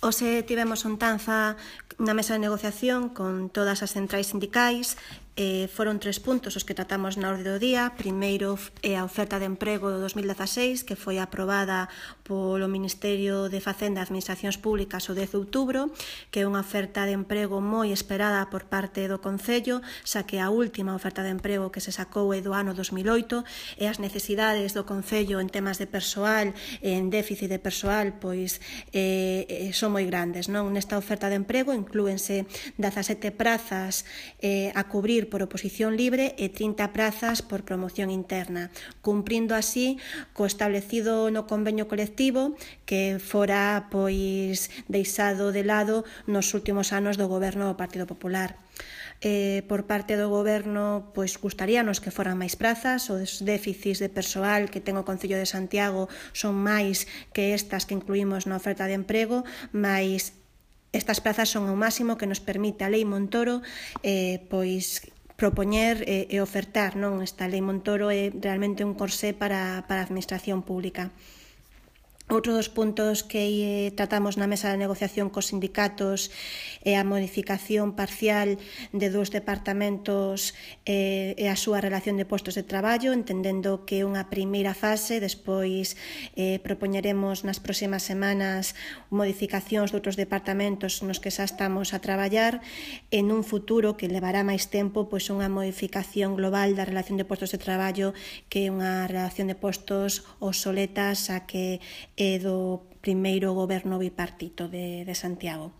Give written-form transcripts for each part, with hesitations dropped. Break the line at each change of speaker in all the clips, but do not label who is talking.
Hoxe tivemos untanza na mesa de negociación con todas as centrais sindicais. Foron 3 puntos os que tratamos na orde do día. Primeiro é a oferta de emprego do 2016, que foi aprobada polo Ministerio de Facenda e Administracións Públicas o 10 de outubro, que é unha oferta de emprego moi esperada por parte do Concello, xa que a última oferta de emprego que se sacou é do ano 2008, e as necesidades do Concello en temas de persoal e en déficit de persoal pois son moi grandes, non? Nesta oferta de emprego inclúense 17 prazas a cubrir por oposición libre e 30 prazas por promoción interna, cumprindo así co establecido no convenio colectivo que fora pois deixado de lado nos últimos anos do goberno do Partido Popular. Por parte do goberno, pois gustaríanos que foran máis prazas. Os déficits de persoal que ten o Concello de Santiago son máis que estas que incluímos na oferta de emprego, mas estas prazas son o máximo que nos permite a Lei Montoro pois propoñer e ofertar, non? Esta Lei Montoro é realmente un corsé para a administración pública. Outro dos puntos que tratamos na mesa de negociación cos sindicatos é a modificación parcial de 2 departamentos e a súa relación de postos de traballo, entendendo que é unha primeira fase. Despois propoñeremos nas próximas semanas modificacións de outros departamentos nos que xa estamos a traballar en un futuro que levará máis tempo, pois unha modificación global da relación de postos de traballo, que é unha relación de postos obsoleta xa que é do primeiro goberno bipartito de Santiago.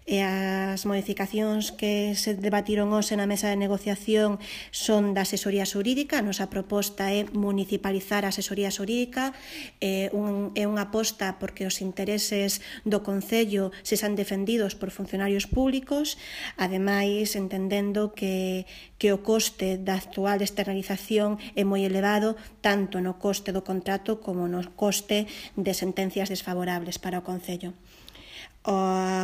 E as modificacións que se debatiron hoxe na mesa de negociación son da asesoría xurídica. A nosa proposta é municipalizar a asesoría xurídica, é unha aposta porque os intereses do Concello se sean defendidos por funcionarios públicos, ademais entendendo que o coste da actual externalización é moi elevado, tanto no coste do contrato como no coste de sentencias desfavorables para o Concello. O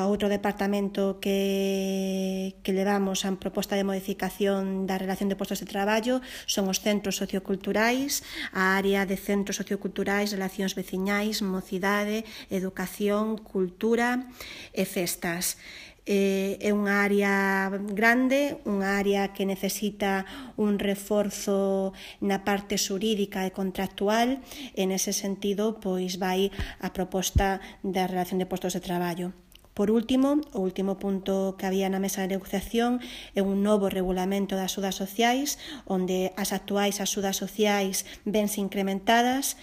outro departamento que levamos a proposta de modificación da relación de postos de traballo son os centros socioculturais, a área de centros socioculturais, relacións veciñais, mocidade, educación, cultura e festas. É unha área grande, unha área que necesita un reforzo na parte xurídica e contractual, e nese sentido pois vai a proposta da relación de postos de traballo. Por último, o último punto que había na mesa de negociación é un novo regulamento das axudas sociais, onde as actuais axudas sociais vense incrementadas.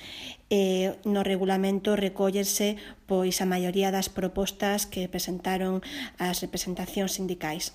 No regulamento recóllese pois a maioría das propostas que presentaron as representacións sindicais.